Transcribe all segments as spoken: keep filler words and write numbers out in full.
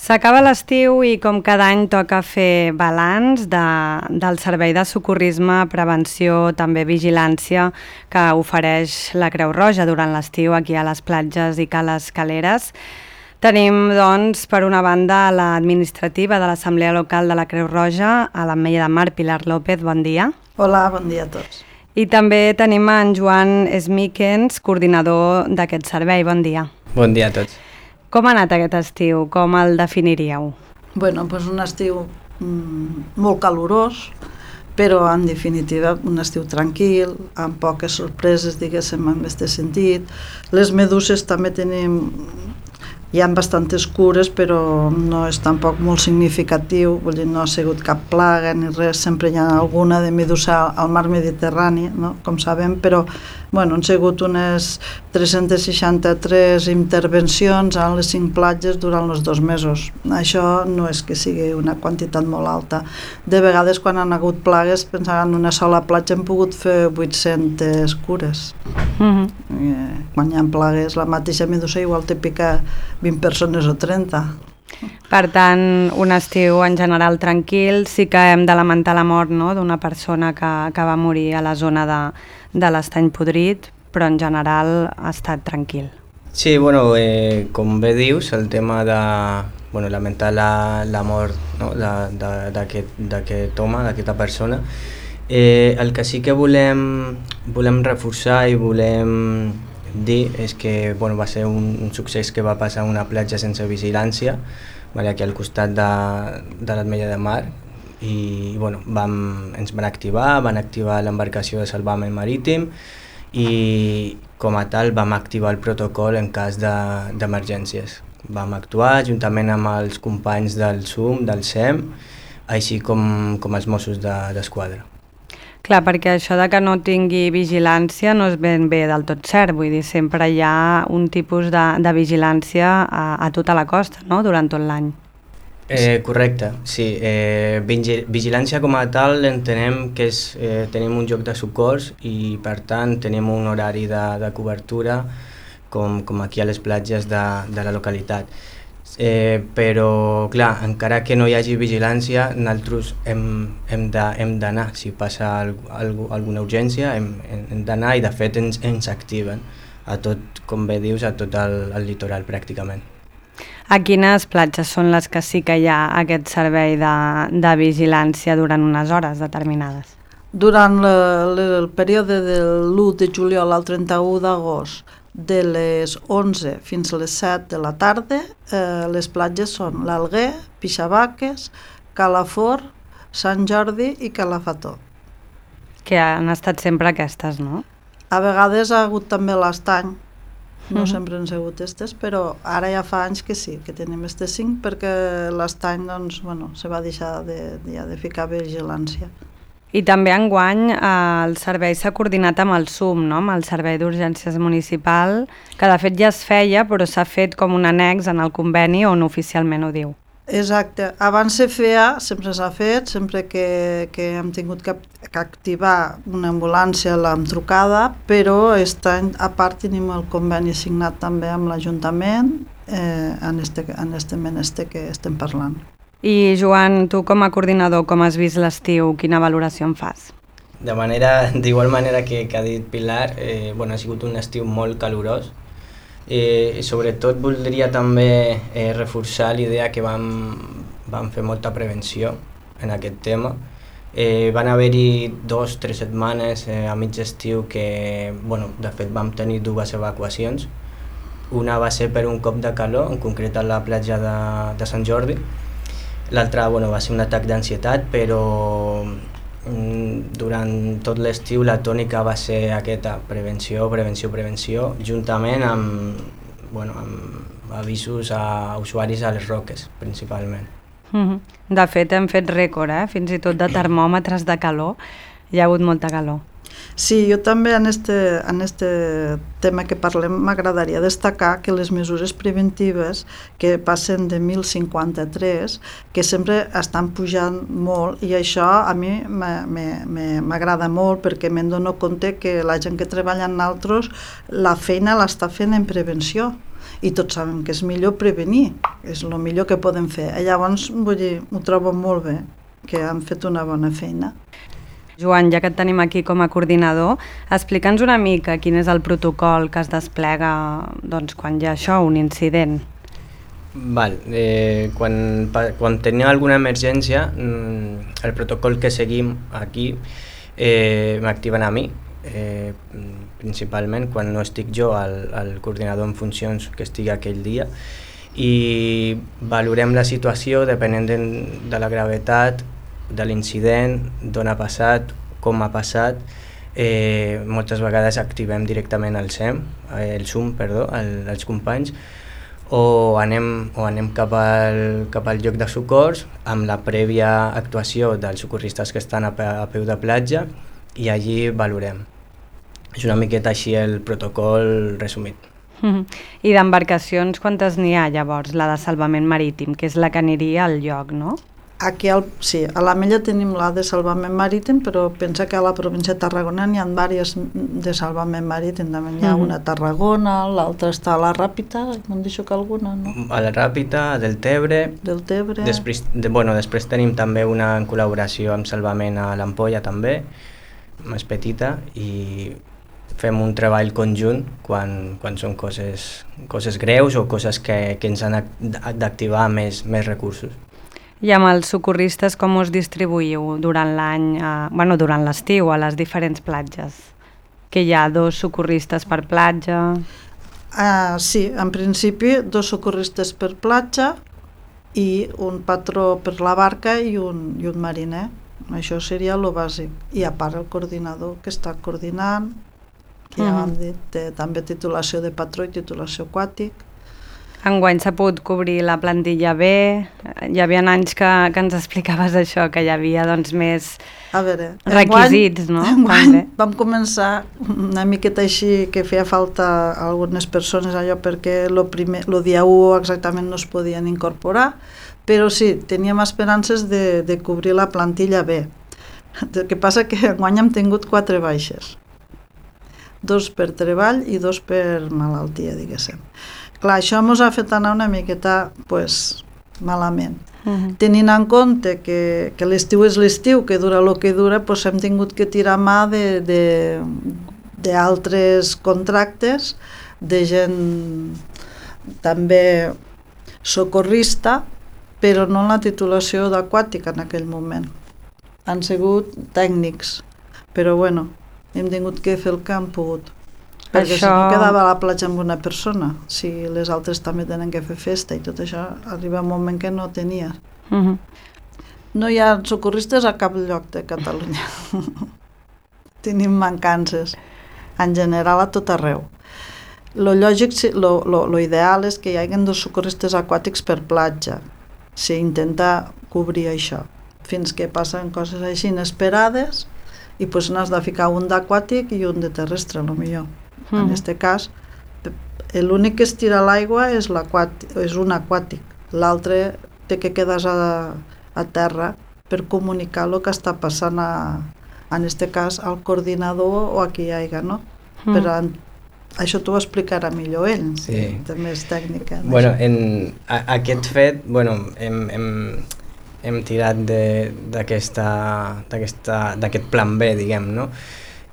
S'acaba l'estiu i com cada any toca fer balanç de, del servei de socorrisme, prevenció, també vigilància que ofereix la Creu Roja durant l'estiu aquí a les platges i cales caleres. Tenim, doncs, per una banda l'administrativa de l'Assemblea Local de la Creu Roja, a l'Ametlla de Mar, Pilar López, bon dia. Hola, bon dia a tots. I també tenim en Joan Smíquens, coordinador d'aquest servei, bon dia. Bon dia a tots. Com ha anat aquest estiu? Com el definiríeu? Bueno, doncs un estiu mm, molt calorós, però en definitiva un estiu tranquil, amb poques sorpreses, diguéssim, en aquest sentit. Les meduses també tenim, hi ha bastantes cures, però no és tampoc molt significatiu, vull dir, no ha sigut cap plaga ni res, sempre hi ha alguna de medusa al mar Mediterrani, no? Com sabem, però bueno, han sigut unes tres-centes seixanta-tres intervencions a les cinc platges durant els dos mesos. Això no és que sigui una quantitat molt alta. De vegades, quan han hagut plagues, pensaven en una sola platja hem pogut fer vuit-centes cures. Mm-hmm. eh, quan hi ha plagues, la mateixa medusa igual te pica vint persones o trenta. Per tant, un estiu en general tranquil, sí que hem de lamentar la mort, no?, d'una persona que, que va morir a la zona de, de l'Estany Podrit, però en general ha estat tranquil. Sí, bueno, eh, com bé dius, el tema de bueno, lamentar la, la mort, no?, d'aquest home, d'aquesta persona, eh, el que sí que volem, volem reforçar i volem dir és que bueno, va ser un, un succés que va passar a una platja sense vigilància, vale, aquí al costat de, de l'Ametlla de Mar, i bueno, vam, ens van activar, van activar l'embarcació de salvament marítim i com a tal vam activar el protocol en cas d'emergències. De, vam actuar juntament amb els companys del S U M, del S E M, així com, com els Mossos d'Esquadra. De, Clar, perquè això de que no tingui vigilància no és ben bé del tot cert, vull dir, sempre hi ha un tipus de, de vigilància a, a tota la costa, no?, durant tot l'any. Eh, correcte, sí. Eh, vigilància com a tal entenem que és, eh, tenim un lloc de socors i per tant tenim un horari de, de cobertura com, com aquí a les platges de, de la localitat. Eh, però clar, encara que no hi hagi vigilància, nosaltres hem, hem d'anar, si passa algo, alguna urgència hem, hem d'anar i de fet ens, ens activen a tot, com bé dius, a tot el, el litoral pràcticament. A quines platges són les que sí que hi ha aquest servei de, de vigilància durant unes hores determinades? Durant le, le, el període de l'u de juliol al trenta-u d'agost, de les onze fins a les set de la tarda, eh, les platges són l'Alguer, Pixabaques, Calafort, Sant Jordi i Calafató. Que han estat sempre aquestes, no? A vegades ha hagut també l'Estany, no mm-hmm. sempre han sigut aquestes, però ara ja fa anys que sí, que tenim aquestes cinc, perquè l'Estany doncs, bueno, se va deixar de, de, de ficar vigilància. I també enguany eh, el servei s'ha coordinat amb el S U M, no?, amb el Servei d'Urgències Municipal, que de fet ja es feia, però s'ha fet com un annex en el conveni on oficialment ho diu. Exacte. Abans se feia, sempre s'ha fet, sempre que, que hem tingut que, que activar una ambulància l'hem trucada, però aquest any a part tenim el conveni signat també amb l'Ajuntament eh, en este, en este menester que estem parlant. I Joan, tu com a coordinador, com has vist l'estiu? Quina valoració en fas? De manera, d'igual manera que, que ha dit Pilar, eh, bueno, ha sigut un estiu molt calorós. Eh, sobretot voldria també eh, reforçar l'idea que vam, vam fer molta prevenció en aquest tema. Eh, van haver-hi dos o tres setmanes eh, a mig estiu que, bueno, de fet vam tenir dues evacuacions. Una va ser per un cop de calor, en concret a la platja de, de Sant Jordi. L'altra bueno, va ser un atac d'ansietat, però mm, durant tot l'estiu la tònica va ser aquesta, prevenció, prevenció, prevenció, juntament amb, bueno, amb avisos a usuaris a les roques, principalment. Mm-hmm. De fet, hem fet rècord, eh? Fins i tot de termòmetres de calor, hi ha hagut molta calor. Sí, jo també en este, en este tema que parlem m'agradaria destacar que les mesures preventives que passen de mil cinquanta-tres, que sempre estan pujant molt, i això a mi m'agrada molt perquè me'n dono compte que la gent que treballa en altres la feina l'està fent en prevenció i tots sabem que és millor prevenir, és el millor que podem fer. Llavors, vull dir, ho trobo molt bé, que han fet una bona feina. Joan, ja que et tenim aquí com a coordinador, explica'ns una mica quin és el protocol que es desplega doncs, quan hi ha això, un incident. Val, eh, quan, quan tenim alguna emergència, el protocol que seguim aquí eh, m'activen a mi, eh, principalment quan no estic jo al, al coordinador en funcions que estigui aquell dia, i valorem la situació depenent de, de la gravetat de l'incident, d'on ha passat, com ha passat. Eh, moltes vegades activem directament el S E M, el S U M, perdó, el, els companys, o anem, o anem cap, al, cap al lloc de socors amb la prèvia actuació dels socorristes que estan a, a peu de platja, i allí valorem. És una miqueta així el protocol resumit. Mm-hmm. I d'embarcacions quantes n'hi ha llavors? La de salvament marítim, que és la que aniria al lloc, no? Aquí, al, sí, a l'Ametlla tenim la de salvament marítim, però pensa que a la província de Tarragona n'hi ha diverses de salvament marítim. També hi ha mm-hmm. una a Tarragona, l'altra està a la Ràpita, m'han dit que alguna, no? A la Ràpita, a Deltebre. Deltebre. Després, de, bueno, després tenim també una en col·laboració amb salvament a l'Ampolla també, més petita, i fem un treball conjunt quan, quan són coses, coses greus o coses que, que ens han d'activar més, més recursos. I amb els socorristes com us distribuïu durant l'any, eh, bueno, durant l'estiu a les diferents platges? Que hi ha dos socorristes per platja? Uh, sí, en principi dos socorristes per platja i un patró per la barca i un, i un mariner. Això seria el bàsic. I a part el coordinador que està coordinant, que ja vam dit, té també titulació de patró i titulació aquàtic. Enguany s'ha pogut cobrir la plantilla bé, hi havia anys que, que ens explicaves això, que hi havia doncs, més a veure, requisits, enguany, no? Enguany vam començar una miqueta així que feia falta a algunes persones allò perquè lo, primer, lo dia u exactament no es podien incorporar, però sí, teníem esperances de, de cobrir la plantilla bé. El que passa que enguany hem tingut quatre baixes, dos per treball i dos per malaltia, diguéssim. Clar, això ens ha fet anar una miqueta pues, malament. Uh-huh. Tenint en compte que, que l'estiu és l'estiu, que dura el que dura, pues, hem tingut que tirar mà d'altres contractes, de gent també socorrista, però no en la titulació d'aquàtica en aquell moment. Han sigut tècnics, però bueno, hem tingut que fer el que hem pogut. Perquè això... si no quedava a la platja amb una persona, si les altres també tenen que fer festa i tot això, arriba un moment que no tenia. Uh-huh. No hi ha socorristes a cap lloc de Catalunya. Tenim mancances, en general a tot arreu. Lo lògic, lo, lo, lo ideal és que hi hagi dos socorristes aquàtics per platja, si intenta cobrir això, fins que passen coses així inesperades i pues n'has de ficar un d'aquàtic i un de terrestre, a lo millor. Mm. En aquest cas, l'únic que es tira a l'aigua és, és un aquàtic, l'altre té que quedar a, a terra per comunicar el que està passant a, en aquest cas al coordinador o a qui hi hagi, no? Mm. Però en, això t'ho explicarà millor ell, sí. També és tècnica. Bueno, en a, aquest fet, bueno, hem, hem, hem tirat d'aquest plan B, diguem, no?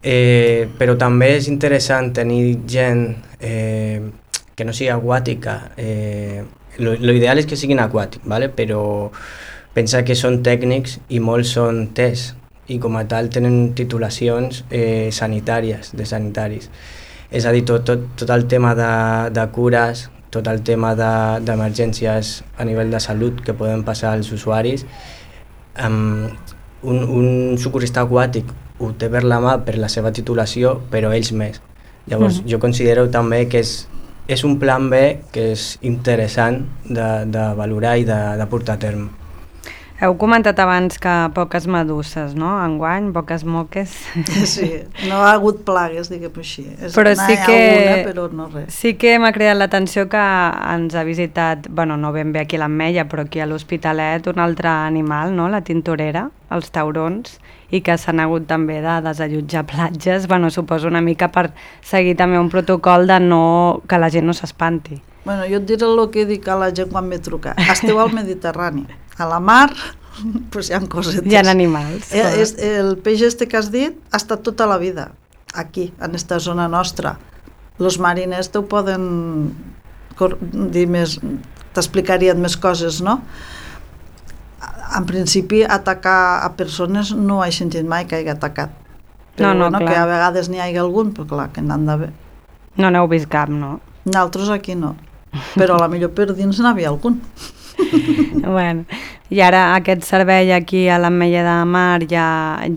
Eh, però també és interessant tenir gent eh, que no sigui aquàtica. Eh, lo, lo ideal és que siguin aquàtics, ¿vale? Però pensa que són tècnics i molts són T E S i com a tal tenen titulacions eh, sanitàries, de sanitaris. És a dir, tot, tot, tot el tema de, de cures, tot el tema d'emergències de, a nivell de salut que poden passar als usuaris, um, un, un socorrista aquàtic ho té per la mà per la seva titulació, però ells més. Llavors, mm-hmm. jo considero també que és, és un plan B que és interessant de, de valorar i de, de portar a terme. Heu comentat abans que poques meduses, no? Enguany, poques moques. Sí, no ha hagut plagues, diguem així. És però sí que, alguna, però no res. Sí que m'ha creat l'atenció que ens ha visitat, bueno, no ben bé aquí a l'Ametlla, però aquí a l'Hospitalet, un altre animal, no? La tintorera, els taurons, i que s'han hagut també de desallotjar platges, bueno, suposo una mica per seguir també un protocol de no, que la gent no s'espanti. Bueno, jo et diré el que dic a la gent quan me truca. Esteu al Mediterrani. A la mar, pues hi ha cosetes. Hi ha animals. Eh, és, el peix este que has dit ha estat tota la vida aquí, en esta zona nostra. Els mariners t'ho poden dir més, t'explicarien més coses, no? En principi, atacar a persones no ho he sentit mai que hagi atacat. Però no, no, bueno, que a vegades n'hi hagi algun, però clar, que n'han d'haver. No n'heu vist cap, no? Nosaltres aquí no, però a la millor per dins n'havia algun. Bueno, i ara aquest servei aquí a l'Ametlla de Mar ja,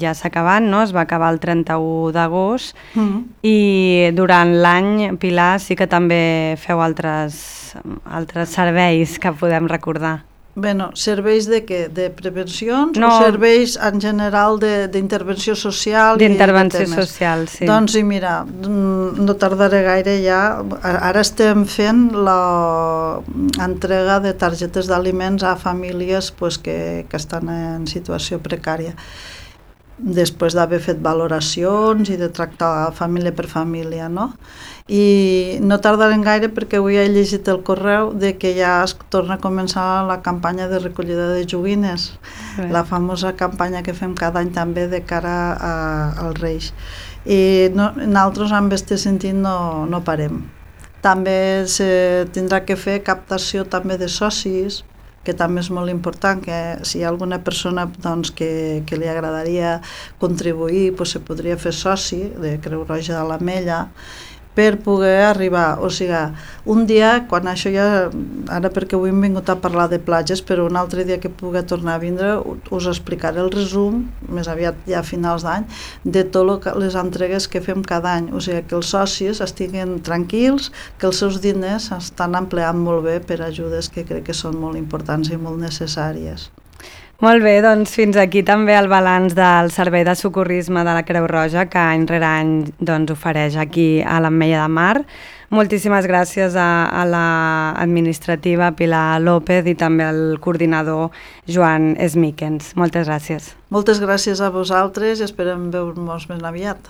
ja s'ha acabat, no? Es va acabar el trenta-u d'agost mm. i durant l'any, Pilar, sí que també feu altres, altres serveis que podem recordar. Bueno, serveis de què? De prevencions no, o serveis en general d'intervenció social? D'intervenció social, sí. Doncs sí, mira, no tardaré gaire ja. Ara estem fent l'entrega de targetes d'aliments a famílies pues, que, que estan en situació precària, després d'haver fet valoracions i de tractar família per família, no? I no tardarem gaire perquè avui he llegit el correu de que ja es torna a començar la campanya de recollida de joguines, Bé. la famosa campanya que fem cada any també de cara a, als Reis. I no, nosaltres en aquest sentit no, no parem. També se tindrà que fer captació també de socis, que també és molt important, que si hi ha alguna persona doncs, que, que li agradaria contribuir, doncs se podria fer soci de Creu Roja de l'Ametlla, per poder arribar, o sigui, un dia, quan això ja, ara perquè avui hem vingut a parlar de platges, però un altre dia que pugui tornar a vindre, us explicaré el resum, més aviat ja a finals d'any, de totes les entregues que fem cada any, o sigui, que els socis estiguen tranquils, que els seus diners estan empleant molt bé per ajudes que crec que són molt importants i molt necessàries. Molt bé, doncs fins aquí també el balanç del Servei de Socorrisme de la Creu Roja que any rere any doncs, ofereix aquí a l'Ametlla de Mar. Moltíssimes gràcies a, a l'administrativa Pilar López i també al coordinador Joan Smíquens. Moltes gràcies. Moltes gràcies a vosaltres i esperem veure-nos més aviat.